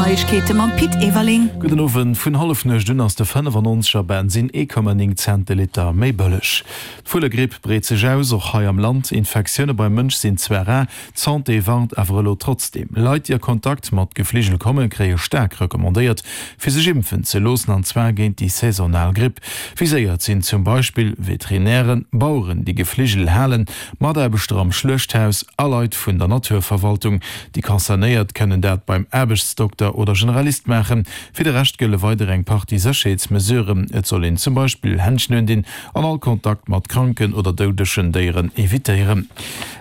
Neiegkeete mam Pit Everling. Gudden Owend. Vun Hallefnuecht un ass de 95er Bensinn 1,9 Cent de Liter méi bëlleg. D'Vullegripp breet sech aus, och hei am Land. Infektioune beim Mënsch sinn zwar rar, d'Santé warnt awer elo trotzdeem. Leit, déi a Kontakt mat Gefligel kommen, kréie staark recommandéiert, fir sech impfen ze loossen, an zwar géint déi saisonal Gripp. Viséiert sinn zum Beispill Veterinären, Baueren, déi Gefligel halen, Mataarbechter am Schluechthaus a Leit vun der Naturverwaltung. Déi Concernéiert kënnen dat beim Aarbechtsdokter oder Generalist maachen. Fir de Rescht gëlle weider eng Partie Sécherheetsmesuren. Et soll een zum Beispill Händschen undinn an all Kontakt mat kranken oder doudegen Déieren evitéieren.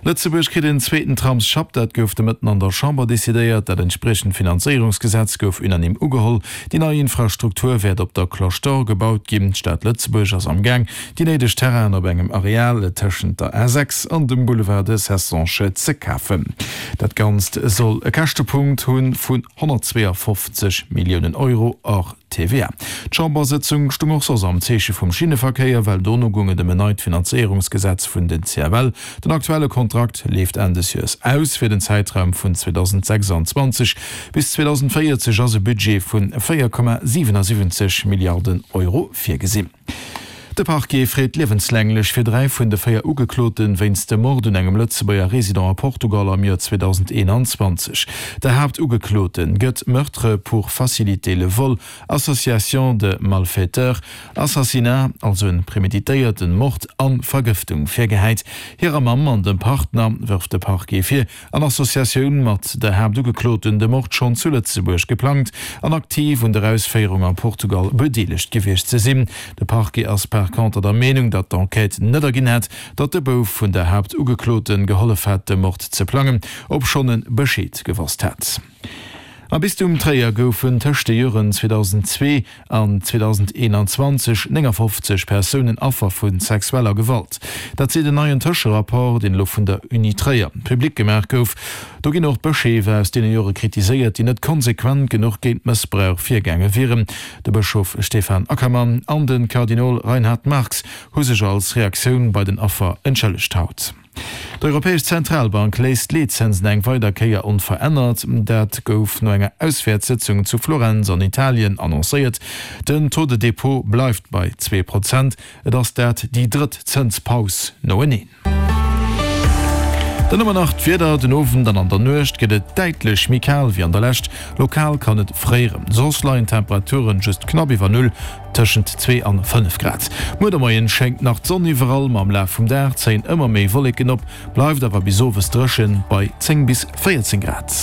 Lëtzebuerg kritt en zweeten Tramsschapp. Dat gouf de Mëtten an der Chamber decidéiert. Dat entspriechend Finanzéierungsgesetz gouf unanime ugeholl. Déi nei Infrastruktur wäert op der Cloche d'Or gebaut ginn. D'Stad Lëtzebuerg ass am Gaang, déi néideg Terrainen op engem Areal tëschent der A6 an dem Boulevard de Cessange ze kafen. Dat Ganzt soll e Käschtepunkt hu vun 152 Milliounen Euro hors TVA. D'Chambersëtzung stung och soss am Zeeche vum Schinneverkéier, well dono goung et ëm en neit Finanzéierungsgesetz vun den CFL. Den aktuelle Kontrakt leeft Enn des Joers aus. Fir den Zäitraum vun 2026 bis 2040 ass e Budget vun 4,77 Milliarden Euro virgesinn. De Parquet freet liewenslänglech fir 3 vun de 4 Ugeklote wéinst dem Mord un engem Lëtzebuerger Resident a Portugal am Joer 2021. Der Haaptugeklote gëtt Meurtre pour faciliter le vol, Association de malfaiteurs, Assassinat, also en preméditéierten Mord, an Vergëftung virgehäit. Hirer Mamm an dem Partner wërft de Parquet vir, An Associatioun mat der Haaptugekloten de Mord schonn zu Lëtzebuerg geplangt an aktiv un der Ausféierung a Portugal bedeelegt gewiescht ze sinn. De Parquet ass par conter der Meenung, datt d'Enquête net erginn hätt, datt de Bouf vun der Haaptugekloten gehollef hat, de Mord ze plangen, obschonn e Bescheed gewosst hat. Am Bistum Tréier goufen tëscht de Joren 2002 an 2021 59 Persounen Affer vu sexueller Gewalt. Dat seet en neien Tëscherapport, deen elo vun der Uni Tréier public gemaach gouf. Do ginn och d'Bëscheef aus deene Jore kritiséiert, déi net konsequent genuch géint Mëssbrauch virgaange wieren. De Bëschof Stefan Ackermann an de Kardinol Reinhard Marx hu sech als Reaktioun bei den Affer entschëllegt haut. D'Europäesch Zentralbank léisst d'Leetzënsen eng weider Kéier onverännert. Dat gouf no enger Auswäertssëtzung zu Florenz an Italien annoncéiert. Den Taux de dépôt bleift bei 2%. Et ass dat déi drëtt Zënspaus noeneen. Dann hu mer nach d'Wieder, Den Owend an an der Nuecht gëtt et däitlech méi kal wéi an der Lescht. Lokal kann et fréieren. Soss leien d'Temperaturen just knapp iwwer Null. Tëschent 2 an 5 Grad. Muer de Moien schéngt nach d'Sonn iwwerall, ma am Laf vum Dag zéien ëmmer méi Wolleken op, bleift awer bis owes dréchen bei 10 bis 14 Grad.